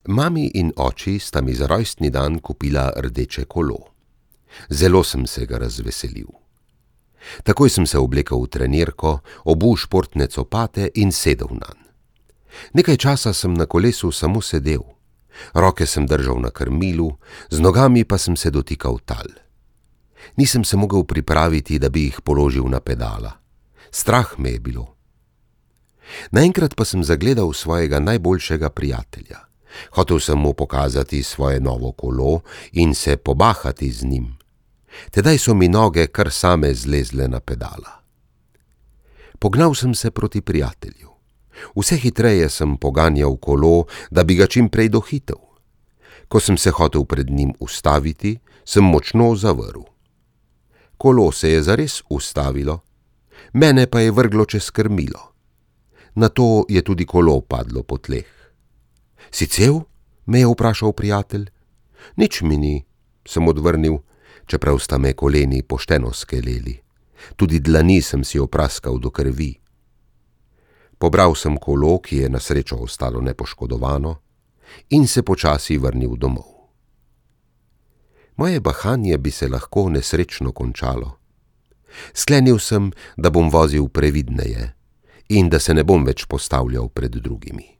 Mami in oči sta mi za rojstni dan kupila rdeče kolo. Zelo sem se ga razveselil. Takoj sem se oblekel v trenirko, obul športne copate in sedel nanj. Nekaj časa sem na kolesu samo sedel. Roke sem držal na krmilu, z nogami pa sem se dotikal tal. Nisem se mogel pripraviti, da bi jih položil na pedala. Strah me je bilo. Naenkrat pa sem zagledal svojega najboljšega prijatelja. Hotel sem mu pokazati svoje novo kolo in se pobahati z njim. Tedaj so mi noge kar same zlezle na pedala. Pognal sem se proti prijatelju. Vse hitreje sem poganjal kolo, da bi ga čim prej dohitel. Ko sem se hotel pred njim ustaviti, sem močno zavrl. Kolo se je zares ustavilo, mene pa je vrglo čez krmilo. Nato je tudi kolo padlo po tleh. Si cel? Me je vprašal prijatelj. Nič mi ni, sem odvrnil, čeprav sta me koleni pošteno skeleli. Tudi dlani sem si opraskal do krvi. Pobral sem kolo, ki je na srečo ostalo nepoškodovano, in se počasi vrnil domov. Moje bahanje bi se lahko nesrečno končalo. Sklenil sem, da bom vozil previdneje in da se ne bom več postavljal pred drugimi.